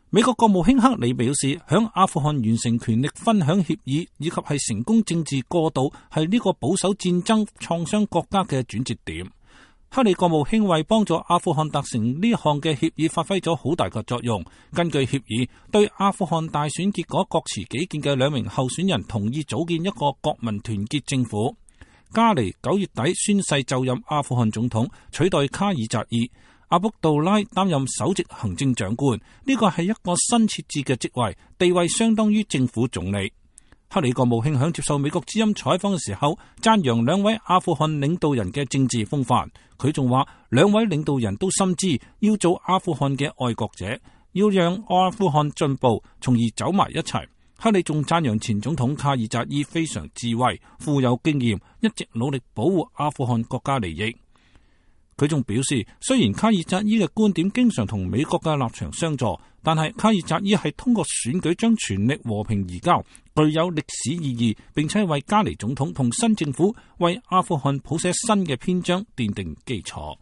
美國國務卿克里表示，響阿富汗完成權力分享協議以及係成功政治過渡係呢個保守戰爭創傷國家嘅轉折點。克里國務卿為幫助阿富汗達成呢項嘅協議發揮咗好大嘅作用。根據協議，對阿富汗大選結果各持己見嘅2名候選人同意組建一個國民團結政府。加尼9月底宣誓就任阿富汗總統，取代卡爾扎伊。阿卜杜拉擔任首席行政長官，呢個係一個新設置嘅職位，地位相當於政府總理。克里國務卿響接受美國之音採訪嘅時候，讚揚2位阿富汗領導人嘅政治風範。佢仲話2位領導人都深知要做阿富汗嘅愛國者，要讓阿富汗進步，從而走埋一齊。克里仲讚揚前總統卡爾扎伊非常智慧、富有經驗，一直努力保護阿富汗國家利益。佢仲表示，雖然卡爾扎伊嘅觀點經常同美國嘅立場相左，但係卡爾扎伊係通過選舉將權力和平移交，具有歷史意義，並且為加尼總統同新政府為阿富汗譜寫新嘅篇章奠定基礎。